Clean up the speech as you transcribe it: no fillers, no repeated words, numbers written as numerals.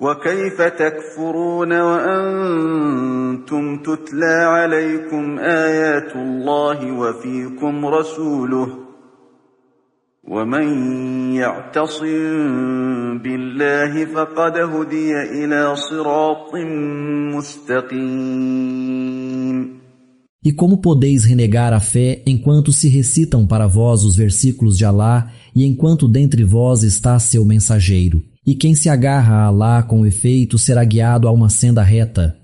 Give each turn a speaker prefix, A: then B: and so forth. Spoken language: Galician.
A: وكيف تكفرون وأنتم تتلى عليكم آيات الله وفيكم رسوله ومن يعتصم بالله فقد هدي إلى صراط مستقيم.
B: E como podeis renegar a fé enquanto se recitam para vós os versículos de Alá e enquanto dentre vós está seu mensageiro? E quem se agarra a Alá com efeito será guiado a uma senda reta.